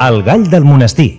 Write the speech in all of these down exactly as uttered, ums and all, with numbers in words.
El gall del monestir.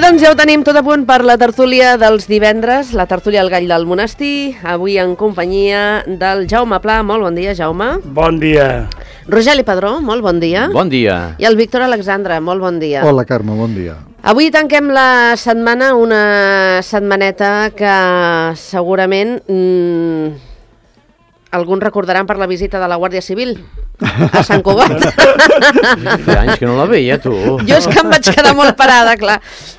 Doncs ja ho tenim tot a punt per la tertúlia dels divendres, la tertúlia al gall del monestir, avui en companyia del Jaume Pla. Molt bon dia, Jaume. Bon dia. Rogeli Padró, molt bon dia. Bon dia. I el Víctor Alexandre, molt bon dia. Hola, Carme, bon dia. Avui tanquem la setmana, una setmaneta que segurament mmm, alguns recordaran per la visita de la Guàrdia Civil a Sant Cugat. Fa anys que no la veia, tu. Jo és que em vaig quedar molt parada, clar.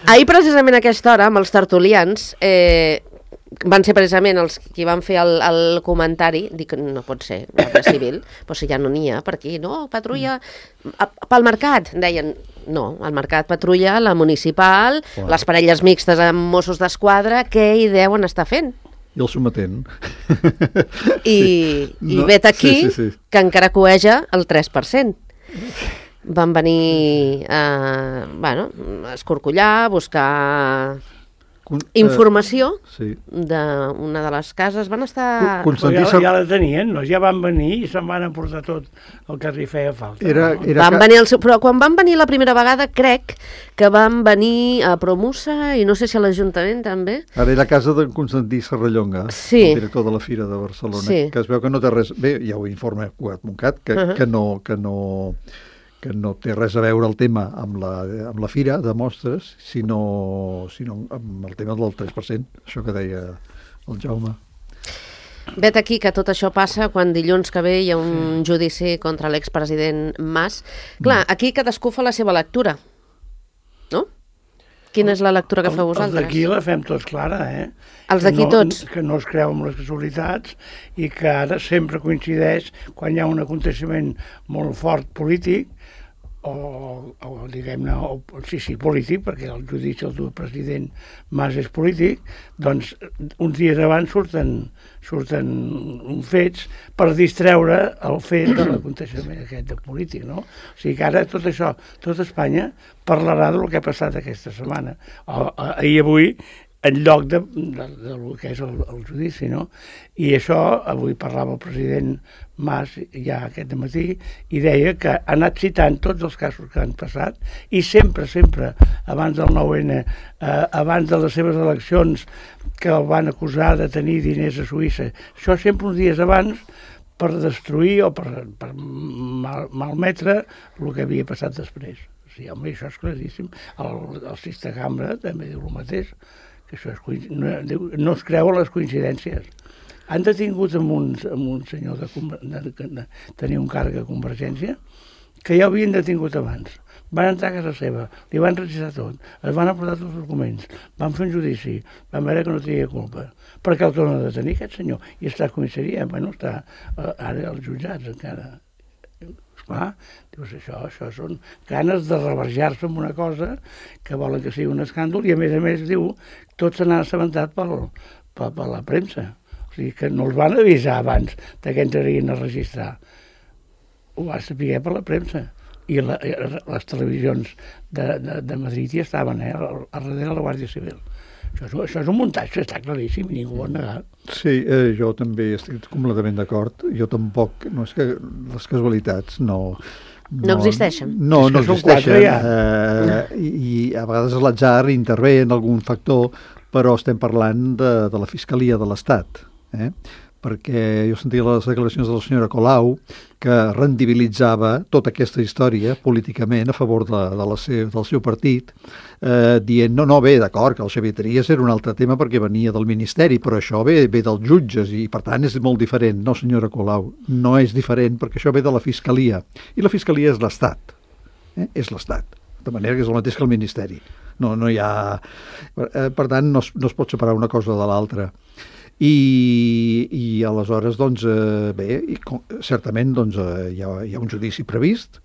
Ahir, precisament a aquesta hora, amb els tertulians, eh, van ser precisament els qui van fer el, el comentari, dic, no pot ser, Guàrdia Civil, però si ja no n'hi ha per aquí, no, patrulla, a, pel mercat, deien, no, al mercat patrulla, la municipal, wow. Les parelles mixtes amb Mossos d'Esquadra, què hi deuen estar fent? I el sometent. I, sí. i no, vet aquí sí, sí, sí. que encara coeja el tres per cent. Van venir a, bueno, a escorcollar, buscar informació uh, sí. d'una de les cases. Van estar... Constantí... Ja, ja la tenien, no? Ja van venir i se'n van emportar tot el que li feia falta. Era, era van ca... venir el seu... Però quan van venir la primera vegada, crec que van venir a Promusa i no sé si a l'Ajuntament també. Ara era a casa de Constantí Serrallonga, sí. el director de la Fira de Barcelona, sí. que es veu que no té res... Bé, ja ho informa Cugat Montcat, que, uh -huh. que no... Que no que no té res a veure el tema amb la, amb la fira de mostres, sinó, sinó amb el tema del tres per cent, això que deia el Jaume. Vet aquí que tot això passa quan dilluns que ve hi ha un judici contra l'expresident Mas. Clar, aquí cadascú fa la seva lectura, no? Quina és la lectura que feu vosaltres? Els d'aquí la fem tots clara, eh? Els d'aquí no, tots? Que no es creu en les casualitats i que ara sempre coincideix quan hi ha un aconteixement molt fort polític, o, o diguem-ne, o, sí, sí, polític, perquè el judici del president Mas és polític, doncs uns dies abans surten, surten fets per distreure el fet de l'aconteixement aquest de polític, no? O sigui que ara tot això, tot Espanya parlarà del que ha passat aquesta setmana, o, ahir i avui, en lloc de, de, de, de que és el, el judici, no? I això, avui parlava el president Mas ja aquest matí i deia que ha anat citant tots els casos que han passat i sempre, sempre, abans del nou ene, eh, abans de les seves eleccions que el van acusar de tenir diners a Suïssa, això sempre uns dies abans per destruir o per, per mal, malmetre el que havia passat després. O sigui, home, això és claríssim. El, el Sixta Cambra també diu el mateix, que això és, no, no es creuen les coincidències. Han detingut amb un, amb un senyor de, de, de, de tenir un càrrec a Convergència que ja havien detingut abans. Van entrar a casa seva, li van registrar tot, es van aportar tots els documents, van fer un judici, van veure que no tenia culpa. Per què el tornen a detenir aquest senyor? I està a comissaria, bueno, està uh, ara als jutjats encara. Esclar, dius, això, això són ganes de reverjar-se amb una cosa que volen que sigui un escàndol i a més a més diu tot se n'ha assabentat per, per, per la premsa. O sigui que no els van avisar abans de que entrarien a registrar. Ho va saber per la premsa. I la, les televisions de, de, de Madrid hi estaven, eh, a darrere de la Guàrdia Civil. Això és, això és un muntatge, està claríssim, ningú ho ha negat. Sí, eh, jo també estic completament d'acord. Jo tampoc, no és que les casualitats no... No, no existeixen. No, no existeixen. Ja. Eh, i, I a vegades l'atzar intervé en algun factor, però estem parlant de, de la Fiscalia de l'Estat, eh? Perquè jo sentia les declaracions de la senyora Colau que rendibilitzava tota aquesta història políticament a favor de, de la seu, del seu partit, eh, dient, no, no, bé, d'acord, que el Xavier Trias era un altre tema perquè venia del Ministeri, però això ve, ve dels jutges i, per tant, és molt diferent. No, senyora Colau, no és diferent perquè això ve de la Fiscalia, i la Fiscalia és l'Estat. eh? És l'Estat, de manera que és el mateix que el Ministeri. No, no hi ha... Per tant, no es, no es pot separar una cosa de l'altra. I, i aleshores, doncs, eh, bé, i, certament doncs, eh, hi, ha, hi ha un judici previst,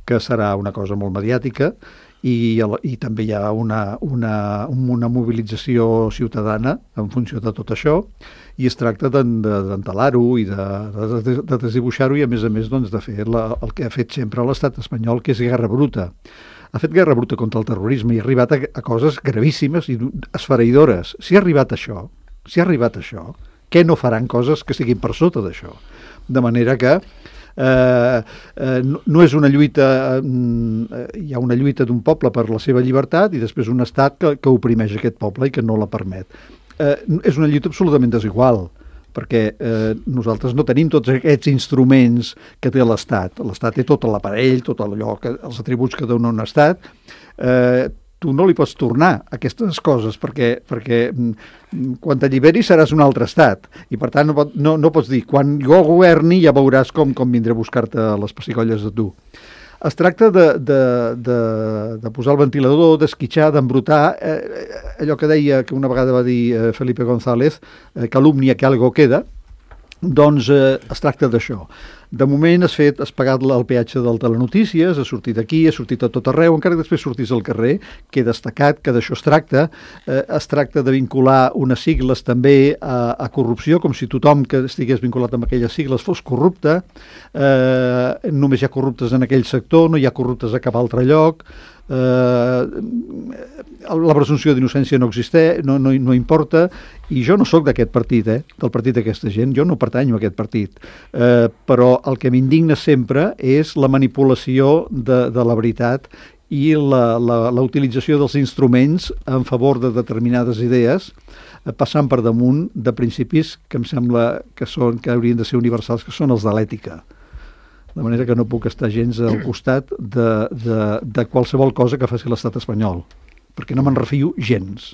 que serà una cosa molt mediàtica, i, i també hi ha una, una, una mobilització ciutadana en funció de tot això, i es tracta d'entelar-ho i de, de, de desdibuixar-ho i, a més a més, doncs, de fer la, el que ha fet sempre l'estat espanyol, que és guerra bruta. Ha fet guerra bruta contra el terrorisme i ha arribat a, a coses gravíssimes i esfereïdores. Si ha arribat a això, si ha arribat a això, què no faran coses que estiguin per sota d'això? De manera que eh, eh, no, no és una lluita, eh, hi ha una lluita d'un poble per la seva llibertat i després un estat que, que oprimeix aquest poble i que no la permet. Eh, és una lluita absolutament desigual, perquè eh, nosaltres no tenim tots aquests instruments que té l'Estat. L'Estat té tot l'aparell, tot allò, que, els atributs que dona un Estat. Eh, tu no li pots tornar aquestes coses, perquè, perquè quan t'alliberis seràs un altre estat, i per tant no, pot, no, no pots dir, quan jo governi ja veuràs com, com vindré a buscar-te les pessigolles de tu. Es tracta de, de, de, de posar el ventilador, d'esquitxar, d'embrutar, eh, allò que deia, que una vegada va dir eh, Felipe González, eh, calumnia que algo queda, doncs eh, es tracta d'això. De moment has fet, has pagat el peatge del Telenotícies, has sortit aquí, has sortit a tot arreu, encara que després sortís al carrer, que he destacat que d'això es tracta. Eh, es tracta de vincular unes sigles també a, a corrupció, com si tothom que estigués vinculat amb aquelles sigles fos corrupte. Eh, només hi ha corruptes en aquell sector, no hi ha corruptes a cap altre lloc. Eh, la presumpció d'innocència no existeix, no, no, no importa, i jo no sóc d'aquest partit, eh, del partit d'aquesta gent, jo no pertanyo a aquest partit, eh, però el que m'indigna sempre és la manipulació de, de la veritat i la, la, la utilització dels instruments en favor de determinades idees, eh, passant per damunt de principis que em sembla que, són, que haurien de ser universals, que són els de l'ètica. De manera que no puc estar gens al costat de, de, de qualsevol cosa que faci l'estat espanyol, perquè no me'n refio gens.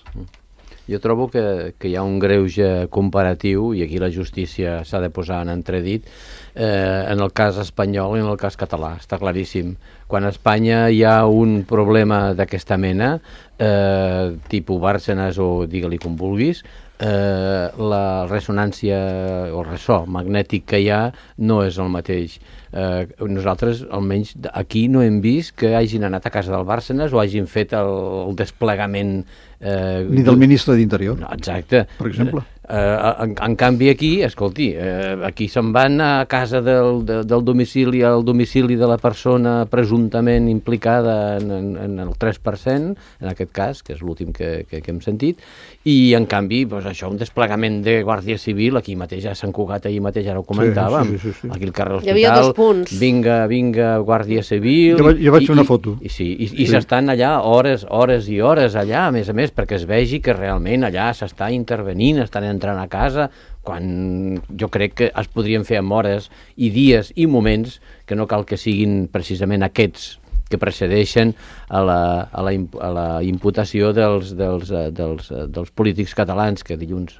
Jo trobo que, que hi ha un greuge comparatiu, i aquí la justícia s'ha de posar en entredit, eh, en el cas espanyol i en el cas català, està claríssim. Quan a Espanya hi ha un problema d'aquesta mena, eh, tipus Bárcenas o digue-li com vulguis, eh, la ressonància o ressò magnètic que hi ha no és el mateix. Eh, nosaltres, almenys aquí, no hem vist que hagin anat a casa del Bárcenas o hagin fet el, el desplegament... Eh, Ni del ministre d'Interior, no, exacte. Per exemple. Eh, en, en canvi aquí, escolti, eh, aquí se'n van a casa del, de, del domicili, al domicili de la persona presumptament implicada en, en, en el tres per cent, en aquest cas, que és l'últim que, que, que hem sentit, i en canvi, doncs, això, un desplegament de Guàrdia Civil, aquí mateix a Sant Cugat, ahir mateix ara ho comentàvem, sí, sí, sí, sí. aquí al carrer Hi havia dos Hospital, punts. vinga, vinga, Guàrdia Civil... Jo vaig, jo vaig i, fer una i, foto. I, sí, i, i sí. S'estan allà hores, hores i hores allà, a més a més, perquè es vegi que realment allà s'està intervenint, estan entrant a casa, quan jo crec que es podrien fer amb hores i dies i moments que no cal que siguin precisament aquests que precedeixen a la, a la, a la imputació dels, dels, dels, dels polítics catalans que dilluns,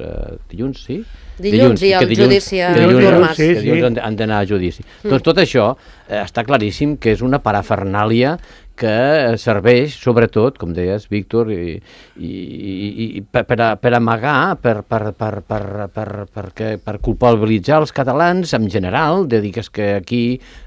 dilluns sí? Dilluns, dilluns i el dilluns, judici a dilluns, Artur Mas. sí, que dilluns han, han d'anar a judici. Mm. Doncs tot això eh, està claríssim que és una parafernàlia que serveix, sobretot, com deies, Víctor, i, i, i per, per, a, per amagar, per, per, per, per, per, per, per, per culpabilitzar els catalans en general, de dir que, és que aquí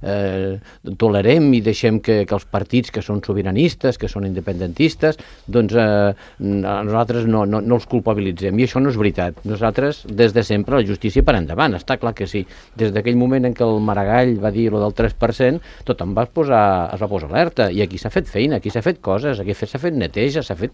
eh, tolerem i deixem que, que els partits que són sobiranistes, que són independentistes, doncs eh, nosaltres no, no, no els culpabilitzem. I això no és veritat. Nosaltres, des de sempre, la justícia per endavant, està clar que sí. Des d'aquell moment en què el Maragall va dir lo del tres per cent, tothom va posar, es va posar alerta, i aquí s'ha fet feina, aquí s'ha fet coses, aquí s'ha fet neteja, s'ha fet...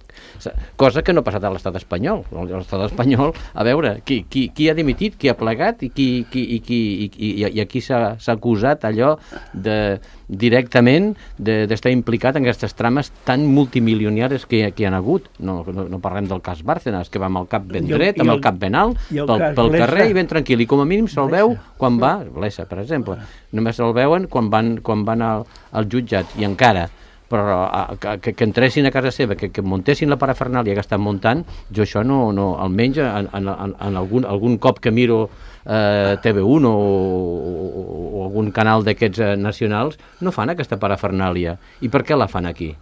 cosa que no ha passat a l'estat espanyol. L'estat espanyol, a veure, qui, qui, qui ha dimitit, qui ha plegat i qui, qui, i, qui, i, i, i aquí s'ha acusat allò de, directament d'estar de, implicat en aquestes trames tan multimilionàries que, que hi ha hagut. No, no, no parlem del cas Bárcenas, que va amb el cap ben dret, amb el cap ben alt, pel, pel carrer i ben tranquil, i com a mínim se'l veu quan va, Blesa, per exemple, només se'l veuen quan van, quan van al, al jutjat, i encara però que, que entressin a casa seva, que, que muntessin la parafernàlia que estan muntant, jo això no, no almenys en, en, en algun, algun cop que miro eh, T V u o, o, o algun canal d'aquests eh, nacionals, no fan aquesta parafernàlia. I per què la fan aquí?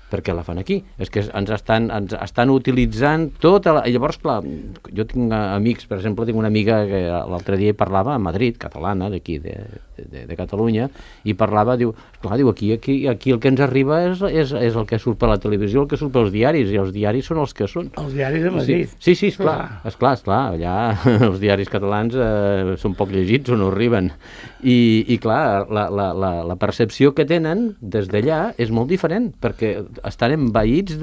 Per què la fan aquí? És que ens estan, ens estan utilitzant tota la... I llavors, clar, jo tinc amics, per exemple, tinc una amiga que l'altre dia parlava a Madrid, catalana, d'aquí, de, de, de Catalunya, i parlava, diu, clar, diu, aquí, aquí, aquí el que ens arriba és, és, és el que surt per la televisió, el que surt pels diaris, i els diaris són els que són. Els diaris de Madrid. Sí, sí, esclar, esclar, esclar, allà els diaris catalans eh, són poc llegits o no arriben. I, i clar, la, la, la, la percepció que tenen des d'allà és molt diferent, perquè estan envaïts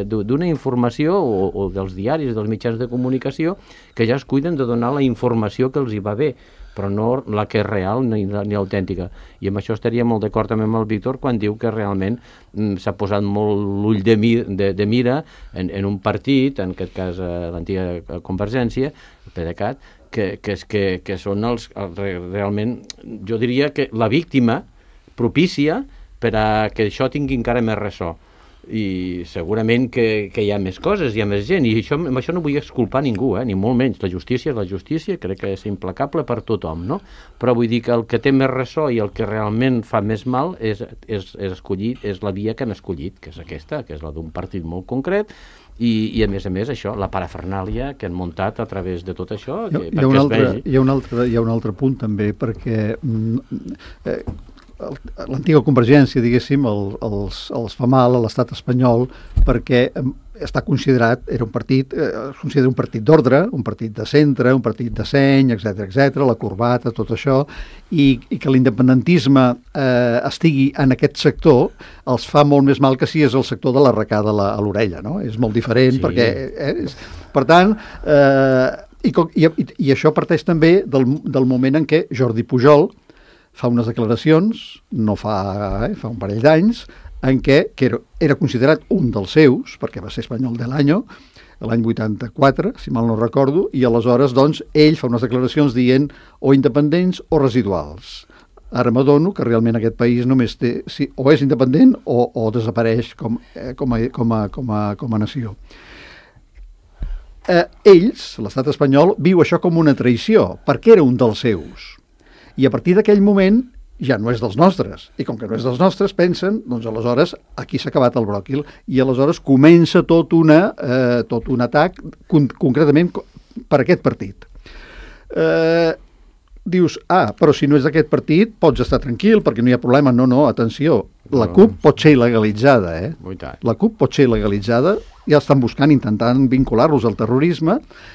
d'una informació o, o dels diaris, dels mitjans de comunicació, que ja es cuiden de donar la informació que els hi va bé, però no la que és real ni, ni autèntica. I amb això estaria molt d'acord també amb el Víctor quan diu que realment mm, s'ha posat molt l'ull de, mi, de, de mira en, en un partit, en aquest cas eh, l'antiga Convergència, el PDeCAT, que, que, que, que són els, els realment, jo diria que la víctima propícia per a que això tingui encara més ressò. I segurament que, que hi ha més coses, hi ha més gent, i això, amb això no vull exculpar ningú, eh? Ni molt menys. La justícia és la justícia, crec que és implacable per tothom, no? Però vull dir que el que té més ressò i el que realment fa més mal és, és, és, escollit, és la via que han escollit, que és aquesta, que és la d'un partit molt concret, i, i a més a més això, la parafernàlia que han muntat a través de tot això, que, hi, ha, hi, ha perquè altre, es vegi. Hi ha, un altre, hi ha un altre punt també, perquè eh, l'antiga Convergència, diguéssim, el, els, els fa mal a l'estat espanyol perquè està considerat, era un partit, eh, es considera un partit d'ordre, un partit de centre, un partit de seny, etcètera, etcètera, la corbata, tot això, i, i que l'independentisme eh, estigui en aquest sector els fa molt més mal que si és el sector de l'arracada a l'orella, no? És molt diferent, sí. perquè... Eh, és, per tant, eh, i, i, i això parteix també del, del moment en què Jordi Pujol fa unes declaracions, no fa, eh, fa un parell d'anys, en què que era, era considerat un dels seus, perquè va ser espanyol de l'any, l'any vuitanta-quatre, si mal no recordo, i aleshores, doncs, ell fa unes declaracions dient o independents o residuals. Ara m'adono que realment aquest país només té, si, o és independent o, o desapareix com, eh, com, a, com, a, com, a, com a nació. Eh, ells, l'estat espanyol, viu això com una traïció, perquè era un dels seus. I a partir d'aquell moment ja no és dels nostres. I com que no és dels nostres, pensen, doncs aleshores aquí s'ha acabat el bròquil i aleshores comença tot, una, eh, tot un atac con concretament per aquest partit. Eh, dius, ah, però si no és d'aquest partit pots estar tranquil perquè no hi ha problema. No, no, atenció, la CUP pot ser il·legalitzada, eh? La CUP pot ser il·legalitzada, ja estan buscant, intentant vincular-los al terrorisme,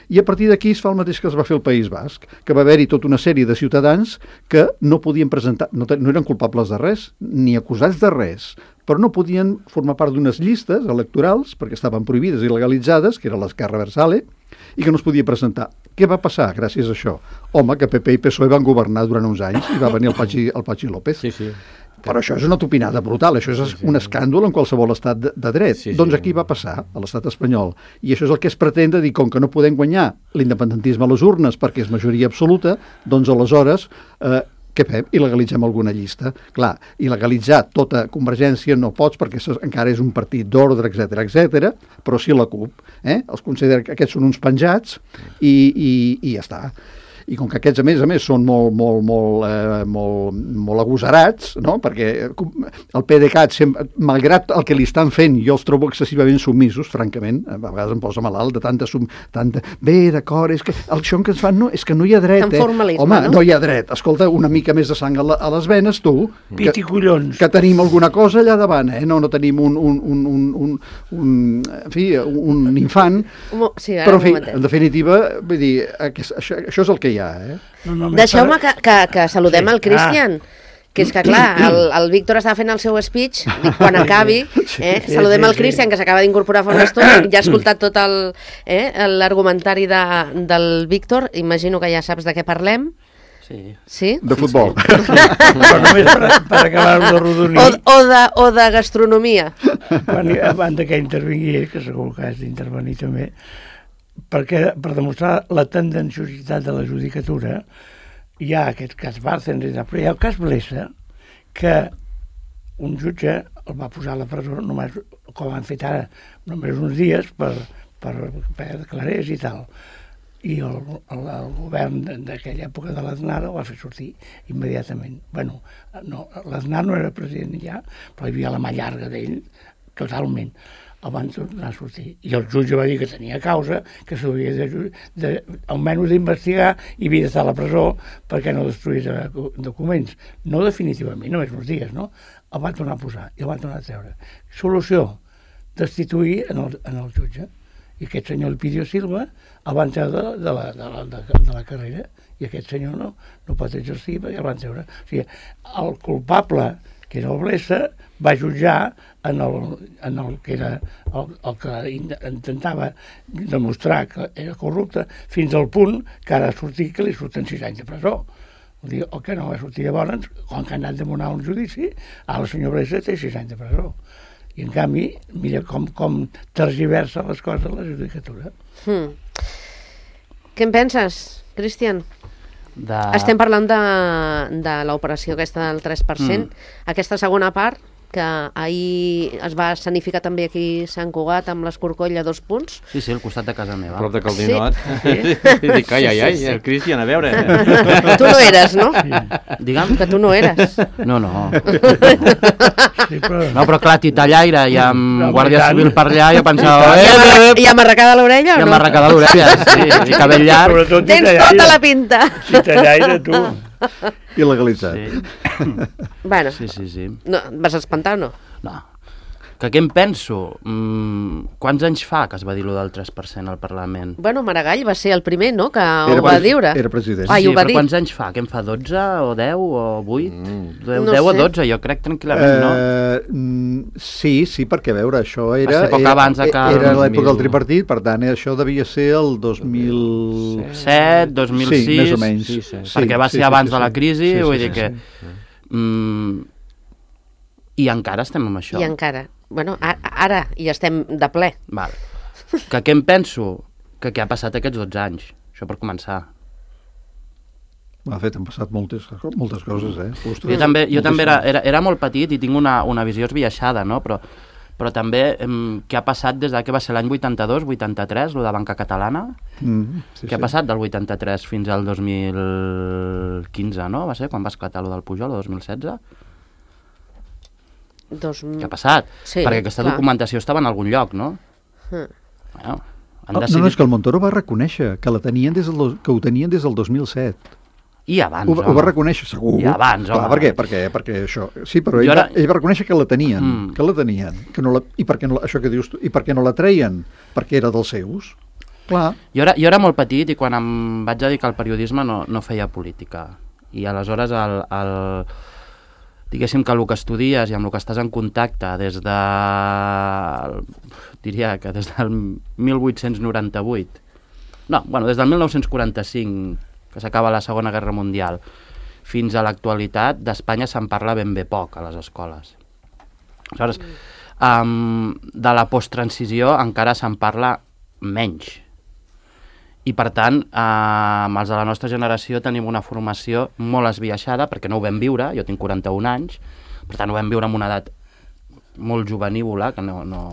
i a partir d'aquí es fa el mateix que es va fer al País Basc, que va haver-hi tota una sèrie de ciutadans que no podien presentar, no, no eren culpables de res, ni acusats de res, però no podien formar part d'unes llistes electorals, perquè estaven prohibides i legalitzades, que era l'Esquerra Versale, i que no es podia presentar. Què va passar gràcies a això? Home, que P P i P S O E van governar durant uns anys i va venir el Patxi, el Patxi López. Sí, sí. Però això és una topinada brutal, això és sí, sí. un escàndol en qualsevol estat de, de dret. Sí, sí. Doncs aquí va passar, a l'estat espanyol. I això és el que es pretén de dir, com que no podem guanyar l'independentisme a les urnes perquè és majoria absoluta, doncs aleshores, eh, què fem? Il·legalitzem alguna llista. Clar, il·legalitzar tota Convergència no pots perquè encara és un partit d'ordre, etcètera, etcètera, però sí la CUP. Eh? Els considera que aquests són uns penjats i, i, i ja està. I com que aquests, a més a més, són molt, molt, molt, eh, molt, molt agosarats, no? Perquè el PDeCAT, sempre, malgrat el que li estan fent, jo els trobo excessivament submisos, francament, a vegades em posa malalt de tanta... Sum, tanta... Bé, d'acord, és que el això que ens fan no, és que no hi ha dret, eh? Home, no? no hi ha dret. Escolta, una mica més de sang a, la, a les venes, tu, Pit i collons. Que tenim alguna cosa allà davant, eh? No, no tenim un, un, un, un, un, un, en fi, un infant, sí, però en fi, en definitiva, vull dir, això, això és el que hi ha. Eh? No, no, deixeu-me que, que, que saludem sí. el Cristian, ah. que és que clar, el, el Víctor està fent el seu speech, dic, quan acabi, eh, sí, saludem sí, el Cristian, sí. que s'acaba d'incorporar fa una estona, ja ha escoltat tot l'argumentari eh, de, del Víctor, imagino que ja saps de què parlem. Sí. Sí? De futbol. Sí, sí. Però només per, per acabar-ho de rodonir. O, o, de, o de gastronomia. Quan, abans que intervingui, que segur que has d'intervenir també, perquè per demostrar la tendenciositat de la judicatura hi ha aquest cas Bárcenas, però hi ha el cas Blesa, que un jutge el va posar a la presó només, com han fet ara, només uns dies per, per, per declarés i tal. i el, el, el govern d'aquella època de l'Aznar el va fer sortir immediatament. Bueno, no, l'Aznar no era president ja, però hi havia la mà llarga d'ell, totalment. El van tornar a sortir. I el jutge va dir que tenia causa, que s'hauria de, de, almenys d'investigar i havia d'estar a la presó perquè no destruís documents. No definitivament, només uns dies, no? El van tornar a posar i el van tornar a treure. Solució, destituir en el, en el jutge. I aquest senyor Elpidio Silva el van treure de, de, la, de, la, de, de la carrera i aquest senyor no, no pot exercir perquè el van treure. O sigui, el culpable, que era el Blesa, va jutjar en el, en el que era el, el que intentava demostrar que era corrupte fins al punt que ara ha sortit que li surten sis anys de presó. Vull dir, el que no va sortir llavors, quan que ha anat a demanar un judici, ara el senyor Blesa té sis anys de presó. I en canvi, mira com, com tergiversa les coses la judicatura. Hmm. Què en penses, Cristian? De... Estem parlant de, de l'operació aquesta del tres per cent. Mm. Aquesta segona part, que ahir es va escenificar també aquí a Sant Cugat amb l'Escorcoll a dos punts. Sí, sí, al costat de casa meva. Prop de Caldinot. Sí. Dic, ai, ai, ai, el Cristian, a veure. Tu no eres, no? Sí. Digue'm. Que tu no eres. No, no. Sí, però... No, però clar, titellaire i amb No, Guàrdia tant. Civil per allà, jo pensava... I Eh, amb, eh, i amb arrecada l'orella I o no? amb arrecada l'orella, sí, i cabell llarg. Sobretot Tens titellaire. tota la pinta. Titellaire, tu. Il·legalitzat. Sí, Bueno, sí, sí. sí. no, et vas espantar o no? No. Que què em penso? Mm, quants anys fa que es va dir lo del tres per cent al Parlament? Bueno, Maragall va ser el primer, no?, que ho Era va pres- dir. era president. Ah, i sí, ho va però dir. quants anys fa? Què em fa, dotze o deu o vuit? Mm. deu, No deu o sé. dotze, jo crec tranquil·lament, no? Eh, mm, sí, sí, perquè a veure, això era... Va ser poc era, abans de que- Era l'època del mil- tripartit, per tant, això devia ser el dos mil... set, dos mil sis... Sí, més o menys. Sí, sí. Perquè va Sí, ser sí, abans sí, de la sí. crisi, Sí, sí, vull sí, dir que... sí. Mm, I encara estem amb això. I encara. Bueno, a- ara hi estem de ple. Val. Que què em penso? Que què ha passat aquests dotze anys? Això per començar. De fet, han passat moltes, moltes coses, eh? Ostres, Jo també, jo moltíssimes. també era, era, era molt petit i tinc una, una visió esbiaixada, no? Però, però també em, què ha passat des de que va ser l'any vuitanta-dos, vuitanta-tres, lo de Banca Catalana? Mm, sí, Què ha passat del vuitanta-tres fins al dos mil quinze, no? Va ser quan va esclatar lo del Pujol, el dos mil setze? Dos... Què ha passat? Sí, Perquè aquesta clar. documentació estava en algun lloc, no? Mm. Bueno, han Oh, decidit... no, no, és que el Montoro va reconèixer que, la tenien des del, dos- que ho tenien des del dos mil set. I abans, Ho, va- ho va reconèixer, segur. I abans, Clar, home. per què? Perquè, perquè això... Sí, però ell, Jo ara... ara- va, ell va reconèixer que la tenien, Mm. que la tenien. Que no la... I per què no la... això que dius tu, i per què no la treien? Perquè era dels seus. Clar. Jo era, jo era molt petit i quan em vaig dedicar al periodisme no, no feia política. I aleshores el, el, diguéssim que el que estudies i amb el que estàs en contacte des de... diria que des del mil vuit-cents noranta-vuit, no, bueno, des del mil nou-cents quaranta-cinc, que s'acaba la Segona Guerra Mundial, fins a l'actualitat, d'Espanya se'n parla ben bé poc a les escoles. Aleshores, um, de la posttransició encara se'n parla menys. I per tant, eh, els de la nostra generació tenim una formació molt esbiaixada, perquè no ho vam viure, jo tinc quaranta-un anys, per tant ho vam viure amb una edat molt juvenívola, que no... no...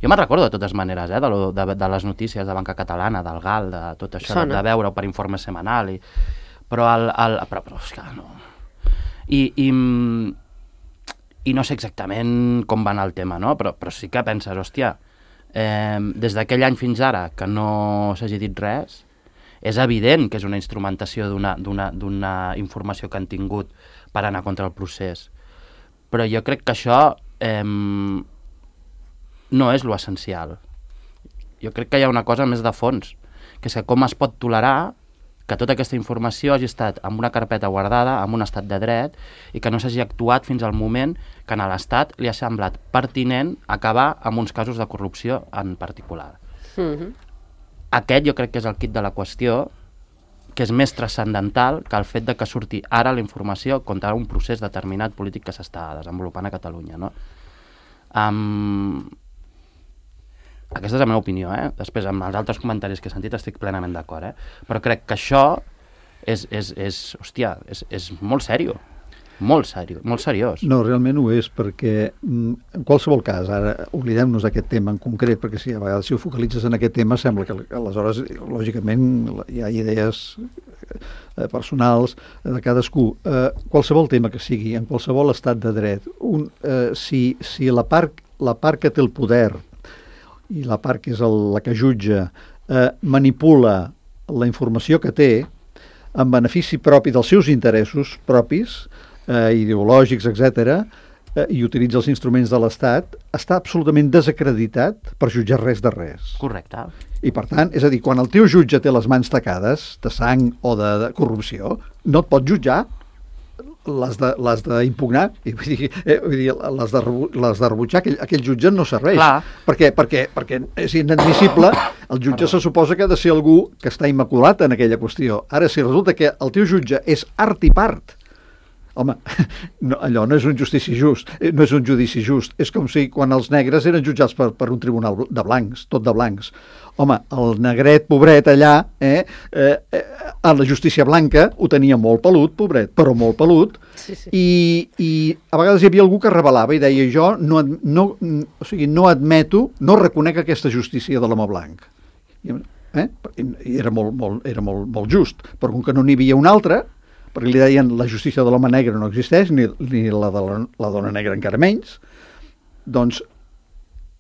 Jo me'n recordo de totes maneres, eh, de, lo, de, de les notícies de Banca Catalana, del G A L, de tot això, de, Sona. de veure-ho per informe setmanal, i... però, el, el, però, però és que no... I, i, I no sé exactament com va anar el tema, no? Però, però sí que penses, hòstia, eh, des d'aquell any fins ara que no s'hagi dit res, és evident que és una instrumentació d'una d'una d'una informació que han tingut per anar contra el procés. Però jo crec que això eh, no és lo essencial. Jo crec que hi ha una cosa més de fons, que és que com es pot tolerar que tota aquesta informació hagi estat en una carpeta guardada, en un estat de dret, i que no s'hagi actuat fins al moment que a l'Estat li ha semblat pertinent acabar amb uns casos de corrupció en particular. Mhm. Aquest jo crec que és el kit de la qüestió, que és més transcendental que el fet de que surti ara la informació contra un procés determinat polític que s'està desenvolupant a Catalunya, no? Um, aquesta és la meva opinió, eh? Després, amb els altres comentaris que he sentit, estic plenament d'acord, eh? Però crec que això és, és, és hòstia, és, és molt sèrio. molt, seri molt seriós. No, realment ho és, perquè mm, en qualsevol cas, ara oblidem-nos d'aquest tema en concret, perquè si a vegades si ho focalitzes en aquest tema sembla que aleshores, lògicament, hi ha idees eh, personals de cadascú. Eh, qualsevol tema que sigui, en qualsevol estat de dret, un, eh, si, si la, part, la part que té el poder i la part que és el, la que jutja eh, manipula la informació que té en benefici propi dels seus interessos propis, eh, ideològics, etcètera, eh, i utilitza els instruments de l'Estat, està absolutament desacreditat per jutjar res de res. Correcte. I per tant, és a dir, quan el teu jutge té les mans tacades de sang o de, de corrupció, no et pot jutjar, l'has d'impugnar, vull dir, eh, vull dir l'has de, les de rebutjar, aquell, aquell jutge no serveix. Clar. Perquè, perquè, perquè és inadmissible, el jutge se suposa que ha de ser algú que està immaculat en aquella qüestió. Ara, si resulta que el teu jutge és art i part, home, no, allò no és un justici just, no és un judici just. És com si quan els negres eren jutjats per, per un tribunal de blancs, tot de blancs. Home, el negret, pobret, allà, eh, eh, eh, a la justícia blanca ho tenia molt pelut, pobret, però molt pelut, Sí, sí. I, i a vegades hi havia algú que revelava i deia jo no, no, o sigui, no admeto, no reconec aquesta justícia de l'home blanc. I, eh? I era, molt, molt, era molt, molt just, però com que no n'hi havia un altre, perquè li deien la justícia de l'home negre no existeix, ni, ni la de la, la dona negra encara menys, doncs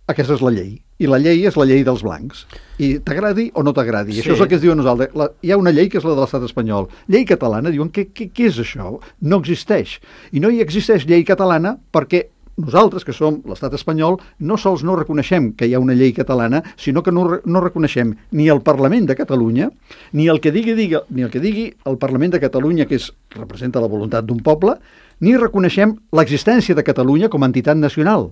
aquesta és la llei. I la llei és la llei dels blancs. I t'agradi o no t'agradi. Sí. Això és el que es diu a nosaltres. La, hi ha una llei que és la de l'estat espanyol. Llei catalana, diuen, què, què, què és això? No existeix. I no hi existeix llei catalana perquè nosaltres, que som l'estat espanyol, no sols no reconeixem que hi ha una llei catalana, sinó que no, no reconeixem ni el Parlament de Catalunya, ni el que digui, digui, ni el que digui el Parlament de Catalunya, que és, representa la voluntat d'un poble, ni reconeixem l'existència de Catalunya com a entitat nacional,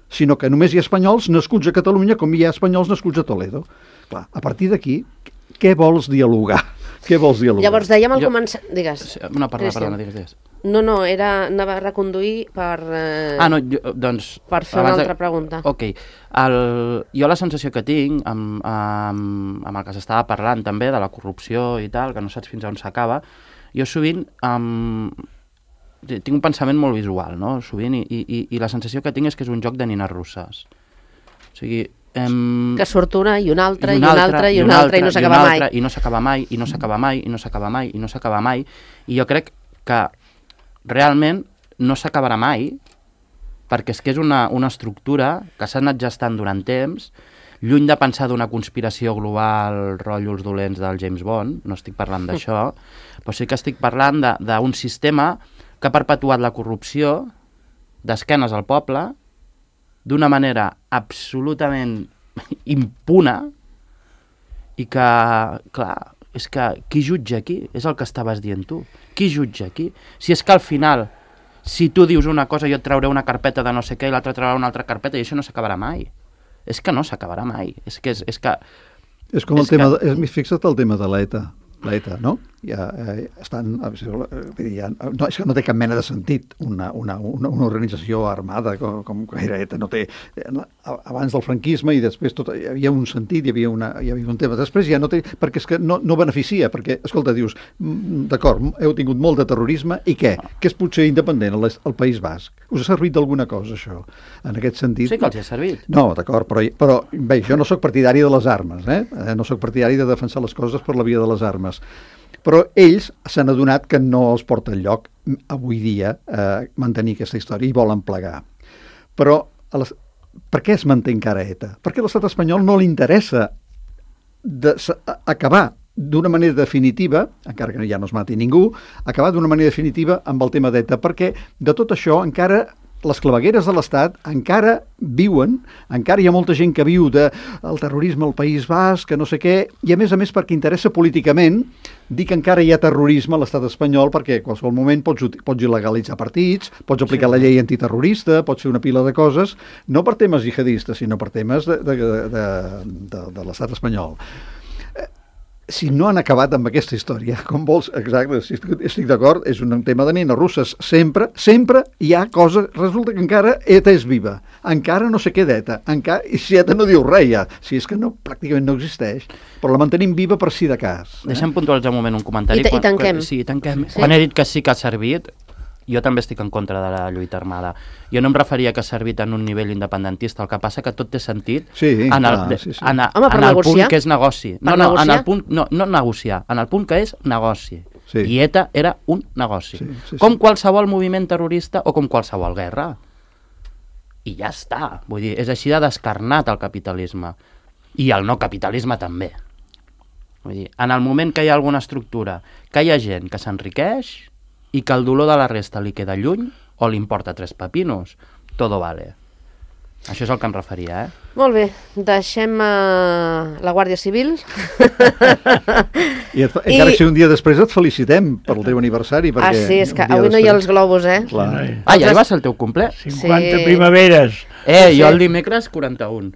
sinó que només hi ha espanyols nascuts a Catalunya com hi ha espanyols nascuts a Toledo. Clar, a partir d'aquí, què vols dialogar? Què vols dialogar? Llavors dèiem al Jo- començar... Digues. No, perdona, Cristian. perdona, digues, digues. No, no, era, anava a reconduir per... Eh, Ah, no, jo, doncs... Per fer una abans altra pregunta. Ok. El, jo la sensació que tinc, amb, amb, amb el que s'estava parlant també, de la corrupció i tal, que no saps fins on s'acaba, jo sovint um, tinc un pensament molt visual, no?, sovint, i, i, i la sensació que tinc és que és un joc de nines russes. O sigui... Em... que surt una i una altra i una altra i una altra i no s'acaba mai. I no s'acaba mai, i no s'acaba mai, i no s'acaba mai, i no s'acaba mai. I jo crec que realment no s'acabarà mai, perquè és que és una, una estructura que s'ha anat gestant durant temps, lluny de pensar d'una conspiració global, rotllos dolents del James Bond, no estic parlant d'això, però sí que estic parlant d'un sistema que ha perpetuat la corrupció d'esquenes al poble, d'una manera absolutament impuna, i que, clar, és que qui jutja aquí? És el que estaves dient tu. Qui jutja aquí? Si és que al final, si tu dius una cosa, jo et trauré una carpeta de no sé què i l'altre traurà una altra carpeta, i això no s'acabarà mai. És que no s'acabarà mai. És que... És, és, que, És com el és tema, que... de, és, fixa't el tema de l'ETA. L'ETA, no? Ja, eh, estan, ja, no, és que no té cap mena de sentit una, una, una, una organització armada com, com era ETA. No té, abans del franquisme i després tot, hi havia un sentit, hi havia, una, hi havia un tema. Després ja no té, perquè és que no, no beneficia, perquè, escolta, dius, d'acord, heu tingut molt de terrorisme, i què? Que és potser independent al, al País Basc. Us ha servit d'alguna cosa, això? En aquest sentit... Sí que els ha servit. No, d'acord, però, però bé, jo no sóc partidari de les armes, eh? No sóc partidari de defensar les coses per la via de les armes. Però ells s'han adonat que no els porta enlloc avui dia eh, mantenir aquesta història i volen plegar. Però a les... per què es manté encara ETA? Perquè a l'estat espanyol no li interessa de... acabar d'una manera definitiva, encara que ja no es mati ningú, acabar d'una manera definitiva amb el tema d'ETA, perquè de tot això encara les clavegueres de l'Estat encara viuen, encara hi ha molta gent que viu del terrorisme al País Basc, que no sé què, i a més a més perquè interessa políticament dir que encara hi ha terrorisme a l'estat espanyol, perquè en qualsevol moment pots, pots il·legalitzar partits, pots aplicar sí. la llei antiterrorista, pots fer una pila de coses, no per temes jihadistes, sinó per temes de, de, de, de, de, de l'estat espanyol. Si no han acabat amb aquesta història, com vols, exacte, si estic, estic d'acord, és un tema de nines russes. Sempre, sempre hi ha coses, resulta que encara ETA és viva, encara no sé què d'ETA, encara, i si ETA no diu res ja, si és que no, pràcticament no existeix, però la mantenim viva per si de cas. Eh? Deixem puntualitzar un moment un comentari. I, i tanquem. Quan, sí, tanquem. Sí. Quan he dit que sí que ha servit, jo també estic en contra de la lluita armada. Jo no em referia que ha servit en un nivell independentista, el que passa que tot té sentit Sí, en el, clar, sí, sí. en, a- Home, per en el negociar. punt que és negoci. Per No, no, en negociar. el punt, no, no negociar, en el punt que és negoci. Sí. I ETA era un negoci. Sí, sí, sí. Com qualsevol moviment terrorista o com qualsevol guerra. I ja està. Vull dir, és així de descarnat el capitalisme. I el no capitalisme també. Vull dir, en el moment que hi ha alguna estructura, que hi ha gent que s'enriqueix i que el dolor de la resta li queda lluny o li importa tres pepinos, todo vale. Això és el que em referia, eh? Molt bé, deixem uh, la Guàrdia Civil. I et, I... encara que sigui un dia després et felicitem pel teu aniversari. Ah, Perquè sí, és que un dia avui no hi ha els després- globus, eh? Clar. Ah, ja hi va ser el teu cumple? cinquanta Sí. primaveres. Eh, Sí. jo el dimecres quaranta-un.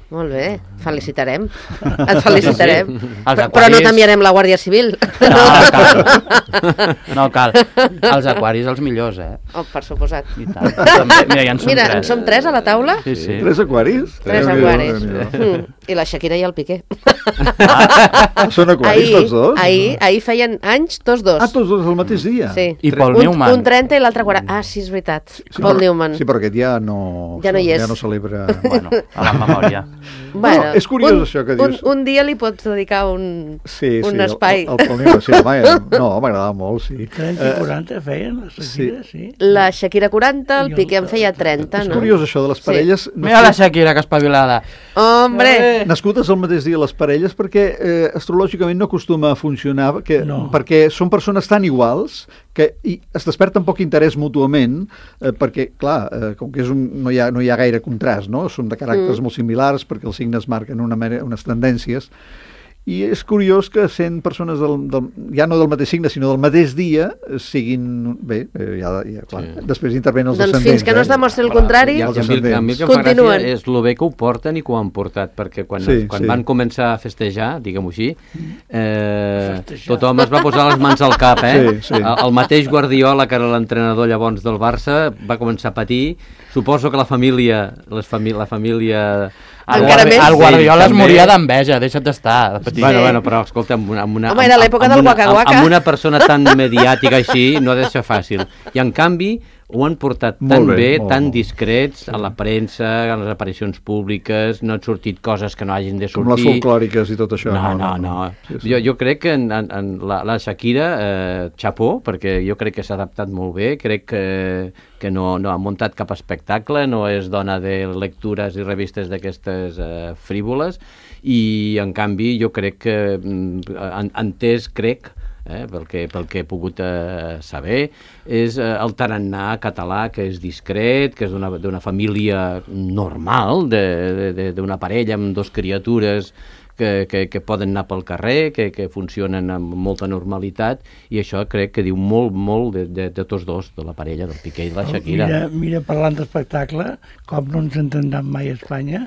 Molt bé, felicitarem. Et felicitarem. Els Però, però no aquaris- t'enviarem la Guàrdia Civil. No, cal. No cal. Els aquaris els millors, eh? Oh, per suposat. I tant. També, mira, ja en som Mira, tres. en som tres a la taula? Sí, sí. Tres aquaris? Tres Déu-n'hi-do, aquaris. Déu-n'hi-do. Mm. I la Shakira i el Piqué. Ah, són aquaris tots dos? ahir, ahir feien anys tots dos. Ah, tots dos el mateix dia? Sí. I Paul un, Newman. un trenta i l'altre quaranta. Ah, sí, és veritat. Sí, Paul però- Newman. Sí, però aquest ja no... Ja no hi és. Ja no celebra... Bueno, a la memòria. Bueno, No, és curiós un, això que dius. Un, un dia li pots dedicar un, Sí, un sí, espai. El, el, el Paul Newman, sí, home, eh, no, m'agradava molt, sí. trenta i quaranta feien la Shakira, sí. La Shakira quaranta, el I el- Piqué en feia trenta, És no? curiós això de les Sí. parelles. Mira la Shakira, que espavilada. Hombre! Nascudes el mateix dia les parelles perquè eh, astrològicament no acostuma a funcionar que, No. perquè són persones tan iguals que i es desperten poc interès mútuament eh, perquè, clar, eh, com que és un, no, hi ha, no hi ha gaire contrast, no? Són de caràcters mm. molt similars perquè els signes marquen una, mena- unes tendències i és curiós que sent persones del, del, ja no del mateix signe sinó del mateix dia eh, siguin bé, eh, ja, ja, clar, Sí. després intervenen els Doncs descendents. fins que no es eh? demostri el contrari, I a, Els mi, a mi el que em fa Continuen. gràcia és el bé que ho porten i que ho han portat, perquè quan, Sí, quan sí. van començar a festejar, diguem-ho així, eh, Festejar. tothom es va posar les mans al cap, eh? Sí, sí. El, el mateix Guardiola, que era l'entrenador llavors del Barça, va començar a patir. Suposo que la família, les fami la família... El, Encara Guardi- més? el Guardiola es També. moria d'enveja, deixa't d'estar. de petit. Bueno, bueno, però escolta, amb una, amb una, Home, era l'època amb del una- Waka amb- Waka. Amb una persona tan mediàtica així no ha de ser fàcil. I en canvi ho han portat tan Molt bé, bé, molt, tan molt. discrets, a la premsa, a les aparicions públiques, no han sortit coses que no hagin de Com les sortir. folclòriques i tot això. No, no, no. Sí, sí. Jo, jo crec que en, en, en la, la Shakira, eh, xapó, perquè jo crec que s'ha adaptat molt bé, crec que, que no, no ha muntat cap espectacle, no és dona de lectures i revistes d'aquestes eh, frívoles, i en canvi jo crec que, mm, en, entès, crec, eh, pel, que, pel que he pogut eh, saber, és eh, el tarannà català, que és discret, que és d'una d'una família normal, de- de- d'una parella amb dos criatures que, que, que poden anar pel carrer, que, que funcionen amb molta normalitat, i això crec que diu molt, molt de, de, de tots dos, de la parella, del Piqué i de la Shakira. Mira, mira, parlant d'espectacle, com no ens entendran mai a Espanya,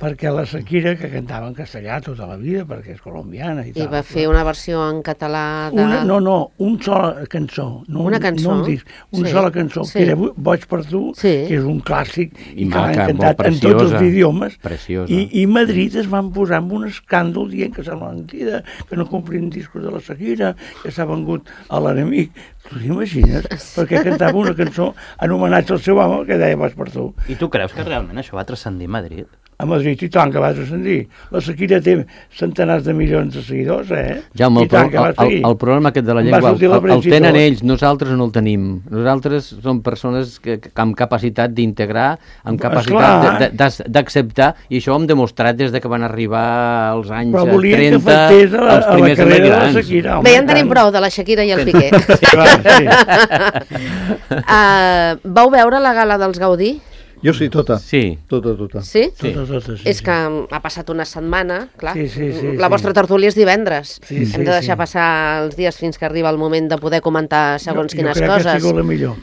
perquè la Shakira, que cantava en castellà tota la vida, perquè és colombiana i I tal. va fer una versió en català de... Una, no, no, una sola cançó. No, Una cançó? No un disc, una Sí. sola cançó, Sí. que era Boig per tu, Sí. que és un clàssic I i que l'han maca, cantat molt en tots els preciosa. idiomes. Preciosa. I, I Madrid es van posar amb un escàndol dient que sembla mentida, que no complien discos de la Shakira, que s'ha vengut a l'enemic. Tu t'imagines? Perquè cantava una cançó en homenatge al seu home que deia Boig per tu. I tu creus que realment això va transcendir Madrid? A Madrid, i tant que va transcendir. La Shakira té centenars de milions de seguidors, eh? Jaume, I el, tant pro, que va el, el, seguir. el problema aquest de la Em va llengua el, sortir la el, el premsa i tenen tot. ells, nosaltres no el tenim. Nosaltres som persones que, que amb capacitat d'integrar, amb capacitat Esclar. de- de- d'acceptar, i això ho hem demostrat des de que van arribar als anys Però eh, volien que trenta, afectés a la, els a la primers carrera de la emigrants. Shakira. home, Bé, ja en i tenim tant. prou de la Shakira i el Piqué. Sí, clar, sí. uh, vau veure la gala dels Gaudí? Jo sí, tota. Sí. Tota, tota. Sí? Sí. Totes, totes, sí, És que ha passat una setmana, clar. Sí, sí, sí, la sí. vostra tertúlia és divendres. Sí, sí, Hem de deixar sí. passar els dies fins que arriba el moment de poder comentar segons jo, quines jo crec coses. que ha sigut la millor.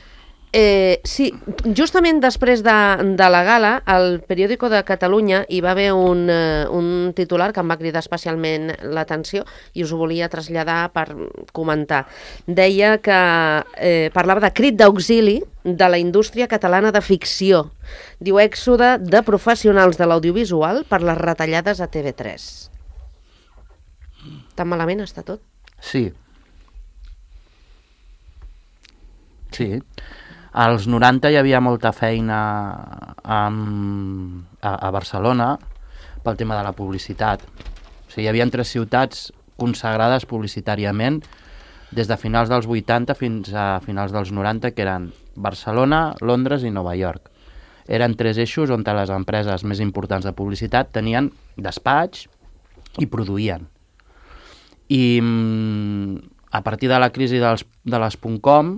Eh, sí, justament després de, de la gala, al Periódico de Catalunya hi va haver un, eh, un titular que em va cridar especialment l'atenció i us ho volia traslladar per comentar. Deia que eh, parlava de crit d'auxili de la indústria catalana de ficció. Diu èxode de professionals de l'audiovisual per les retallades a T V tres. Tan malament està tot? Sí. sí. Als noranta hi havia molta feina amb, a, a Barcelona pel tema de la publicitat. O sigui, hi havia tres ciutats consagrades publicitàriament des de finals dels vuitanta fins a finals dels noranta, que eren Barcelona, Londres i Nova York. Eren tres eixos on les empreses més importants de publicitat tenien despatx i produïen. I a partir de la crisi dels, de les .com,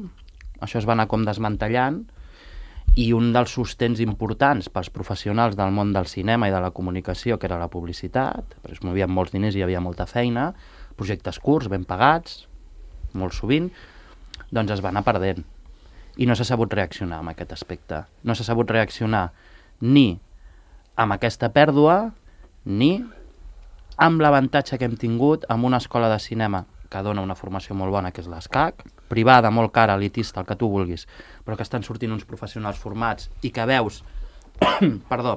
això es va anar com desmantellant, i un dels sostens importants pels professionals del món del cinema i de la comunicació, que era la publicitat, perquè es movien molts diners i hi havia molta feina, projectes curts, ben pagats, molt sovint, doncs es va anar perdent. I no s'ha sabut reaccionar amb aquest aspecte. No s'ha sabut reaccionar ni amb aquesta pèrdua, ni amb l'avantatge que hem tingut amb una escola de cinema que dona una formació molt bona, que és l'ESCAC, privada, molt cara, elitista, el que tu vulguis, però que estan sortint uns professionals formats i que veus perdó,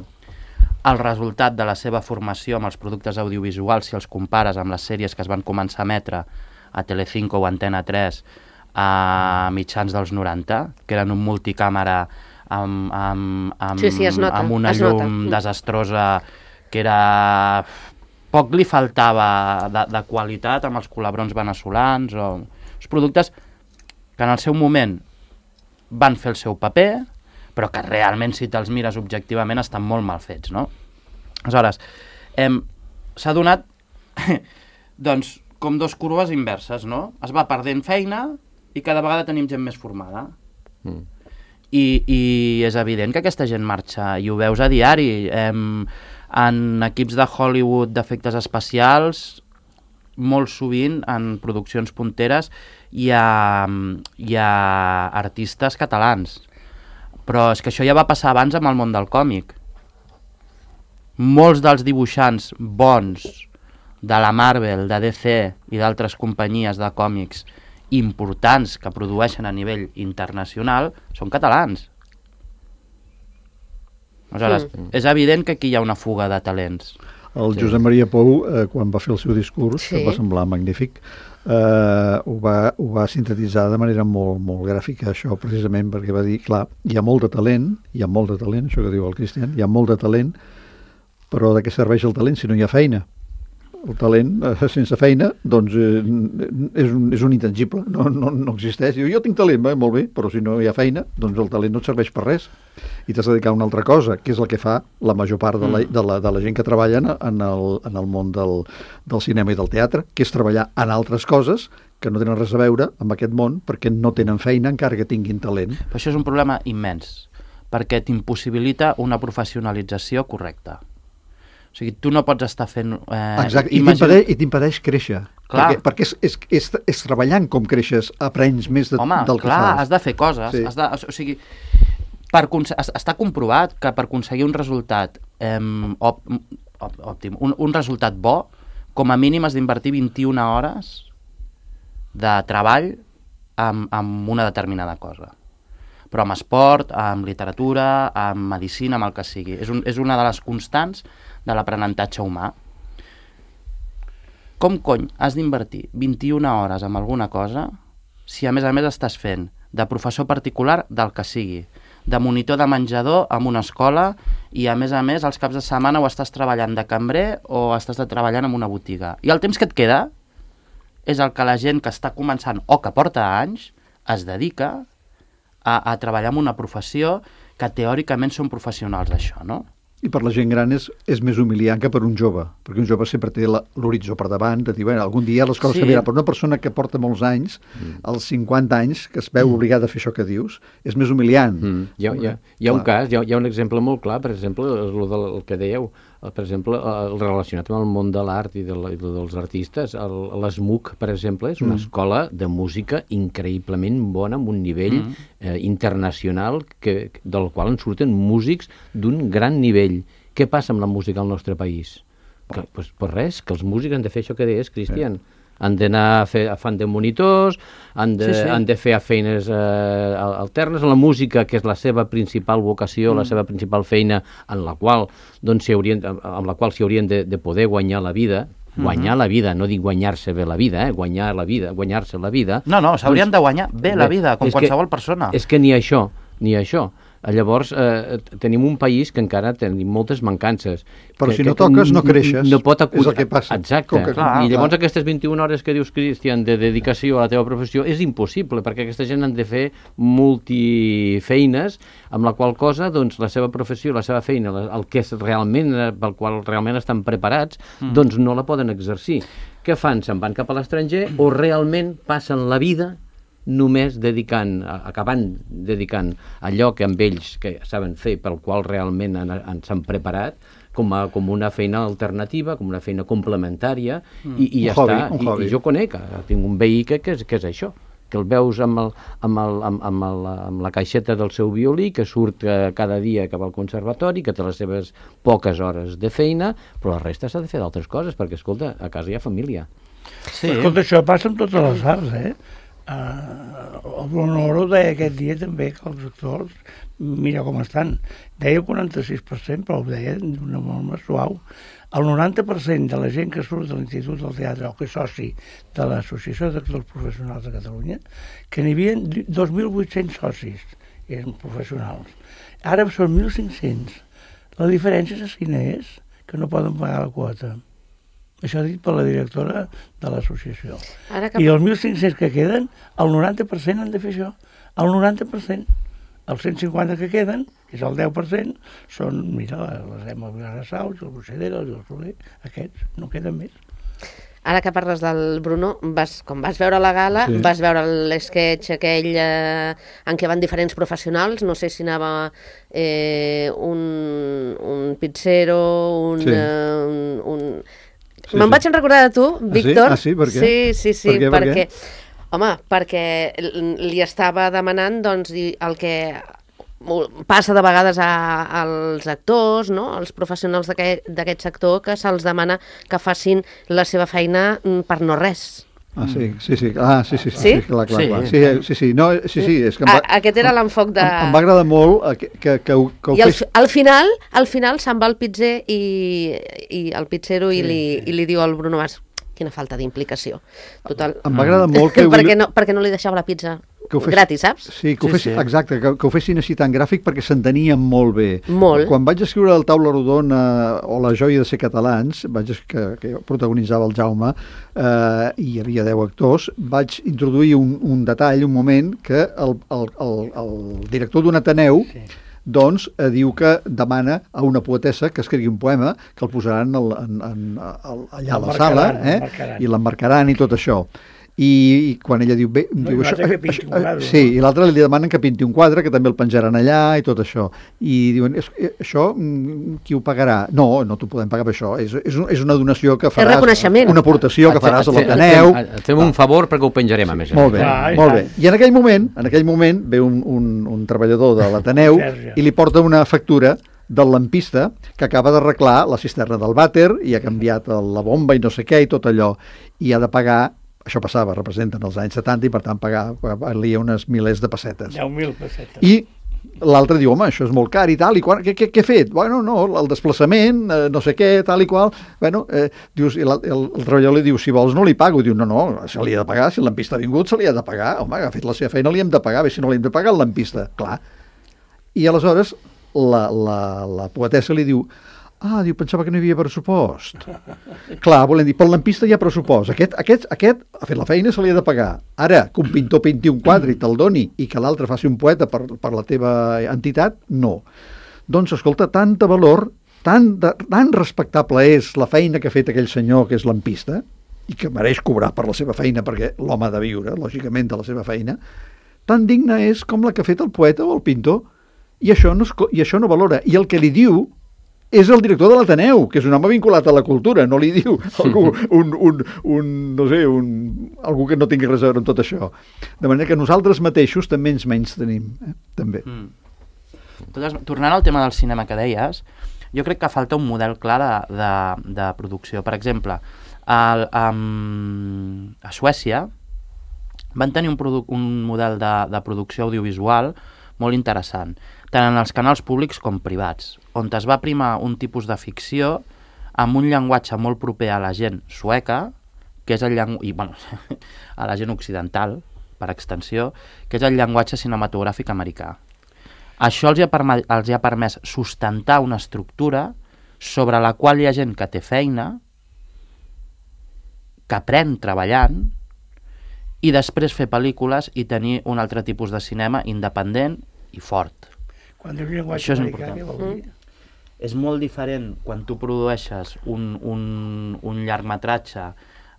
el resultat de la seva formació amb els productes audiovisuals si els compares amb les sèries que es van començar a emetre a Telecinco o Antena tres a mitjans dels noranta, que eren un multicàmera amb, amb, amb, sí, sí, es nota, amb una es llum nota. desastrosa, que era... poc li faltava de, de qualitat amb els colabrons veneçolans o els productes que en el seu moment van fer el seu paper, però que realment, si te'ls mires objectivament, estan molt mal fets, no? Aleshores, hem, s'ha donat doncs, com dos curves inverses, no? Es va perdent feina i cada vegada tenim gent més formada. Mm. I, I és evident que aquesta gent marxa, i ho veus a diari. Hem, en equips de Hollywood d'efectes especials, molt sovint en produccions punteres hi ha, hi ha artistes catalans. Però és que això ja va passar abans amb el món del còmic. Molts dels dibuixants bons de la Marvel, de D C i d'altres companyies de còmics importants que produeixen a nivell internacional són catalans. Aleshores, mm. és evident que aquí hi ha una fuga de talents. El Josep Maria Pou, eh, quan va fer el seu discurs, sí. que va semblar magnífic, eh, ho, va, ho va sintetitzar de manera molt, molt gràfica, això, precisament perquè va dir, clar, hi ha molt de talent, hi ha molt de talent, això que diu el Cristian, hi ha molt de talent, però de què serveix el talent si no hi ha feina? El talent, eh, sense feina, doncs eh, és, un, és un intangible, no, no, no existeix. Jo, jo tinc talent, va, molt bé, però si no hi ha feina, doncs el talent no et serveix per res. I t'has de dedicar a una altra cosa, que és el que fa la major part de la, de la, de la gent que treballa en el, en el món del, del cinema i del teatre, que és treballar en altres coses que no tenen res a veure amb aquest món perquè no tenen feina encara que tinguin talent. Però això és un problema immens, perquè t'impossibilita una professionalització correcta. O sigui, tu no pots estar fent... Eh, Exacte, imagina... i t'impedeix créixer. Clar. Perquè, perquè és, és, és, és treballant com creixes, aprens més de, Home, del que clar, fas. Home, has de fer coses. Sí. Has de, o sigui, per està comprovat que per aconseguir un resultat eh, op, op, òptim, un, un resultat bo, com a mínim has d'invertir vint-i-una hores de treball amb, amb una determinada cosa. Però amb esport, amb literatura, amb medicina, amb el que sigui. És, un, és una de les constants de l'aprenentatge humà. Com cony has d'invertir vint-i-una hores en alguna cosa si a més a més estàs fent de professor particular del que sigui, de monitor de menjador en una escola i a més a més els caps de setmana o estàs treballant de cambrer o estàs treballant en una botiga. I el temps que et queda és el que la gent que està començant o que porta anys es dedica a, a treballar en una professió que teòricament són professionals d'això, no? I per la gent gran és, és més humiliant que per un jove, perquè un jove sempre té l'horitzó per davant, de dir, bueno, algun dia les coses sí. canviaran, però una persona que porta molts anys, mm. als cinquanta anys, que es veu mm. obligada a fer això que dius, és més humiliant. Mm. Hi, ha, hi, ha, hi ha un cas, hi ha, hi ha un exemple molt clar, per exemple, el, el, el que dèieu, per exemple, el relacionat amb el món de l'art i, de la, i dels artistes, l'ESMUC, per exemple, és una mm. escola de música increïblement bona, amb un nivell mm. eh, internacional, que, del qual en surten músics d'un gran nivell. Què passa amb la música al nostre país? Que, pues, pues res, que els músics han de fer això que deies, Cristian. Sí. Han d'anar a fer a fan de monitors, han de, sí, sí. han de fer feines eh, alternes. La música, que és la seva principal vocació, mm. la seva principal feina, en la qual doncs, haurien, amb la qual s'hi haurien de, de poder guanyar la vida, guanyar la vida, no dic guanyar-se bé la vida, eh? guanyar la vida, guanyar-se la vida... No, no, s'haurien doncs, de guanyar bé la vida, com és que- qualsevol persona. És que ni això, ni això. Llavors, eh, tenim un país que encara tenim moltes mancances. Però que, si no que toques, no n- creixes. No pot acut... És el que passa. Exacte. Com que- Clar, I llavors clar. aquestes vint-i-una hores que dius, Cristian, de dedicació a la teva professió, és impossible, perquè aquesta gent han de fer multifeines, amb la qual cosa, doncs, la seva professió, la seva feina, la- el que és realment, eh, pel qual realment estan preparats, mm. doncs no la poden exercir. Què fan? Se'n van cap a l'estranger o realment passen la vida només dedicant, a- acabant dedicant allò que amb ells que saben fer, pel qual realment han, han, s'han preparat, com, a, com una feina alternativa, com una feina complementària, mm. i, i ja Un hobby, està. un I, hobby. I jo conec, eh, tinc un veí que, que, és, que és això, que el veus amb, el, amb, el, amb, amb, el, amb la caixeta del seu violí, que surt eh, cada dia cap al conservatori, que té les seves poques hores de feina, però la resta s'ha de fer d'altres coses, perquè, escolta, a casa hi ha família. Sí. Escolta, això passa amb totes les arts, eh? Uh, el Bruno Oro deia aquest dia també que els actors, mira com estan, deia el quaranta-sis per cent, però ho deia d'una forma suau. El noranta per cent de la gent que surt de l'Institut del Teatre o que és soci de l'Associació d'Actors Professionals de Catalunya, que n'hi havia dos mil vuit-cents socis, eren professionals. Ara són mil cinc-cents. La diferència és quina és? Que no poden pagar la quota. Això dit per la directora de l'associació. Ara que... I els mil cinc-cents que queden, el noranta per cent han de fer això. El noranta per cent. Els cent cinquanta que queden, que és el deu per cent, són, mira, les Emma Vilarassaus, el Buixedera, el Soler, aquests, no queden més. Ara que parles del Bruno, vas, com vas veure la gala, Sí. sí. vas veure l'esquetx aquell eh, en què van diferents professionals, no sé si anava eh, un, un pizzero, un... Sí. Eh, un, un... Sí, Me'n sí. vaig en recordar de tu, Víctor. Ah, sí? Per què? Sí, sí, sí, Per què, per perquè... què? Home, perquè li estava demanant doncs, dir el que passa de vegades a, als actors, no? als professionals d'aquest d'aquest sector, que se'ls demana que facin la seva feina mm, per no res. Ah, sí, sí, sí, ah, sí, sí, sí, Sí? sí, clar, clar, Sí. clar. Sí, eh, sí, sí, no, sí, sí, és que em va, A, aquest era l'enfoc de... em, em va agradar molt eh, que, que, que, ho, que ho I al, fes... fi- al final, al final se'n va el pizzer i, i el pizzero i, li, i li diu al Bruno Mas, quina falta d'implicació. Total. Em va agradar molt que... perquè, no, perquè no li deixava la pizza que ho fes... gratis, saps? Sí, que ho Sí, fessin, sí. exacte, que, que ho fessin així tan gràfic perquè s'entenien molt bé. Molt. Quan vaig escriure el Taula Rodona o La joia de ser catalans, vaig, es- que, que protagonitzava el Jaume, eh, i hi havia deu actors, vaig introduir un, un detall, un moment, que el, el, el, el director d'un Ateneu sí. doncs eh, diu que demana a una poetessa que escrigui un poema que el posaran al, en, en, al, allà a la sala, eh? l'emmarcaran. i l'emmarcaran i tot això. I, i quan ella diu... Bé, No, diu i l'altre que pinti un quadre, sí, no? i l'altre li demanen que pinti un quadre, que també el penjaran allà i tot això. I diuen, és, eh, això, mm, qui ho pagarà? No, no t'ho podem pagar per això. És, és, un, és una donació que faràs... reconeixement. Una aportació que Et fe- faràs a et fe- l'Ateneu. et fem- Et fem un favor perquè ho penjarem, a més a més. Molt bé, Clar, i molt tant. bé. I en aquell moment, en aquell moment ve un, un, un treballador de l'Ateneu Sergi. i li porta una factura del lampista que acaba d'arreglar la cisterna del vàter i ha canviat el- la bomba i no sé què i tot allò. I ha de pagar, això passava, representen els anys setanta i per tant pagar, valia unes milers de pessetes. deu mil pessetes. I l'altre diu, home, això és molt car i tal, i quan, què, què, què he fet? Bueno, no, el desplaçament, eh, no sé què, tal i qual. Bueno, eh, dius, i la, el, el treballador li diu, si vols no li pago. Diu, no, no, se li ha de pagar, si el lampista ha vingut se li ha de pagar. Home, ha fet la seva feina, li hem de pagar, bé, si no li hem de pagar el lampista, clar. I aleshores la, la, la poetessa li diu, ah, diu, pensava que no hi havia pressupost. Clar, volem dir, pel lampista hi ha pressupost. Aquest, aquest, aquest ha fet la feina, se li ha de pagar. Ara, que un pintor pinti un quadre i te'l doni i que l'altre faci un poeta per, per la teva entitat, no. Doncs, escolta, tanta valor, tan, de, tan respectable és la feina que ha fet aquell senyor que és lampista i que mereix cobrar per la seva feina perquè l'home ha de viure, lògicament, de la seva feina, tan digna és com la que ha fet el poeta o el pintor. I això no, es, co- i això no valora. I el que li diu és el director de l'Ateneu, que és un home vinculat a la cultura, no li diu algú, un, un, un, no sé, un, algú que no tingui res a veure amb tot això. De manera que nosaltres mateixos també ens menys tenim, eh? també. Mm. Totes, tornant al tema del cinema que deies, jo crec que falta un model clar de, de, de producció. Per exemple, el, um, a Suècia van tenir un, produ un model de, de producció audiovisual molt interessant, tant en els canals públics com privats, on es va primar un tipus de ficció amb un llenguatge molt proper a la gent sueca, que és el llenguatge, i bueno, a la gent occidental, per extensió, que és el llenguatge cinematogràfic americà. Això els hi ha, perme- els hi ha permès sustentar una estructura sobre la qual hi ha gent que té feina, que aprèn treballant, i després fer pel·lícules i tenir un altre tipus de cinema independent i fort. Quan dius llenguatge Això és americà, què vol dir? És molt diferent quan tu produeixes un, un, un llargmetratge eh,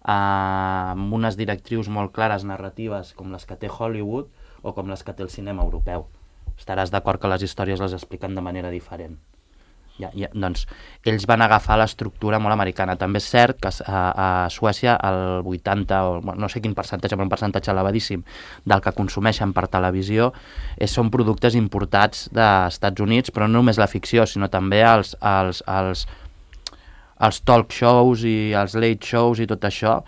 amb unes directrius molt clares narratives com les que té Hollywood o com les que té el cinema europeu. Estaràs d'acord que les històries les expliquen de manera diferent. Ja, ja, doncs, ells van agafar l'estructura molt americana. També és cert que a, a Suècia el vuitanta, o no sé quin percentatge, però un percentatge elevadíssim del que consumeixen per televisió és, són productes importats dels Estats Units, però no només la ficció, sinó també els, els, els, els talk shows i els late shows i tot això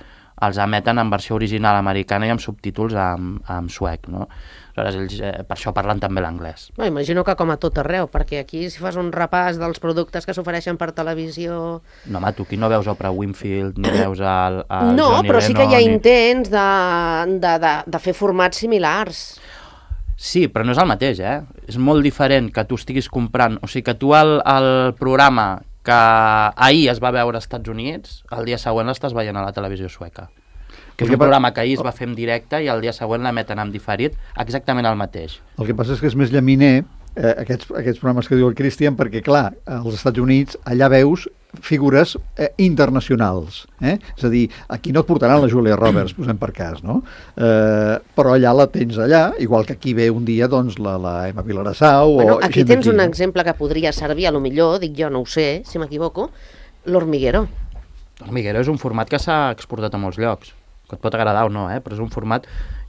els emeten en versió original americana i amb subtítols en, en suec, no? Aleshores, ells eh, per això parlen també l'anglès. No, imagino que com a tot arreu, perquè aquí si fas un repàs dels productes que s'ofereixen per televisió... No, home, tu aquí no veus Oprah Winfield, ni veus el, el No, Johnny però sí que hi ha Lennon, ni... intents de, de, de, de fer formats similars. Sí, però no és el mateix, eh? És molt diferent que tu estiguis comprant... O sigui, que tu el, el programa que ahir es va veure als Estats Units, el dia següent l'estàs veient a la televisió sueca. Que és un programa que ahir es va fer en directe i el dia següent l'emeten en diferit, exactament el mateix. El que passa és que és més llaminer eh, aquests, aquests programes que diu el Cristian, perquè, clar, als Estats Units allà veus figures eh, internacionals. Eh? És a dir, aquí no et portaran la Julia Roberts, posem per cas, no? Eh, però allà la tens allà, igual que aquí ve un dia doncs, la, la Emma Vilarassau... Bueno, o aquí gent tens d'aquí, un no? exemple que podria servir, a lo millor, dic jo, no ho sé, si m'equivoco, l'Hormiguero. L'Hormiguero és un format que s'ha exportat a molts llocs, que et pot agradar o no, eh? Però és un format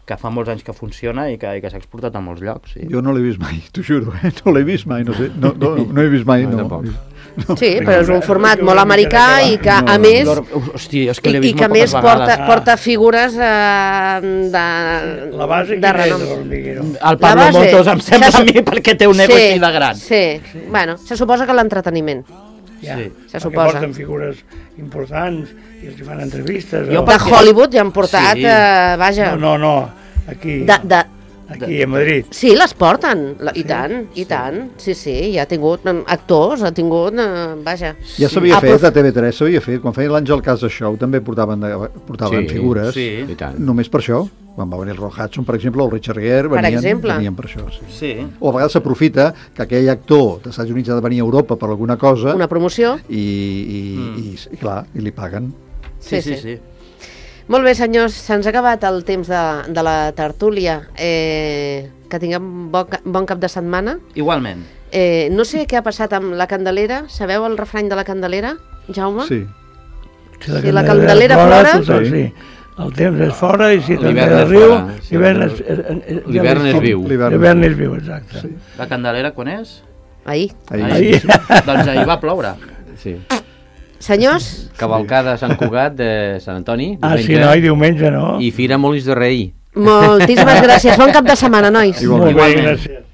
que fa molts anys que funciona i que, i que s'ha exportat a molts llocs. Sí. Jo no l'he vist mai, t'ho juro, eh? No l'he vist mai, no sé, no, no, no he vist mai, No, no. tampoc. no. Sí, però és un format molt americà i que, a més... Hosti, és que I, l'he i vist que a molt més poques porta, vegades. porta figures eh, de, La base de quina és renom. de l'Hormiguero? El Pablo La base- Motos em sembla se a mi perquè té un ego sí, així de gran. Sí, sí, bueno, se suposa que l'entreteniment. Ja, Sí. Se perquè suposa. porten figures importants i els hi fan entrevistes. Jo o- De perquè- Hollywood ja han portat, Sí. eh, vaja... No, no, no, aquí, De, de, aquí a Madrid. sí, les porten, la, i tant, i tant. Sí, sí, ja ha tingut mm, actors, ha tingut... Eh, vaja. Ja s'havia Aprof- fet, a T V tres s'havia fet, quan feien l'Àngel Casa Show també portaven, de, portaven Sí, figures, sí. I tant. només per això. Quan va venir el Roy Hudson, per exemple, o el Richard Gere, Per venien, exemple. venien per això. Sí. Sí. O a vegades s'aprofita que aquell actor dels Estats Units ha de venir a Europa per alguna cosa Una promoció. i, i, Mm. i, i, clar, i li paguen. Sí, Sí, sí, sí. Molt bé, senyors, se'ns ha acabat el temps de, de la tertúlia. Eh, que tinguem bon, ca- bon cap de setmana. Igualment. Eh, no sé què ha passat amb la Candelera. Sabeu el refrany de la Candelera, Jaume? Sí. Si Si la Candelera plora- Tothom, sí. El temps és fora i si la L'hivern Candelera és riu, fora, sí. l'hivern és, és, és, L'hivern és viu. L'hivern és viu, exacte. Sí. La Candelera quan és? Ahir. Ahir. Ahir. Doncs ahir va ploure. Sí. Senyors, Cavalcada a Sant Cugat de Sant Antoni, Ah, sí, diumenge, no, i diumenge no. i Fira Molins de Rei. moltíssimes gràcies. Bon cap de setmana, nois. Molt bé, gràcies.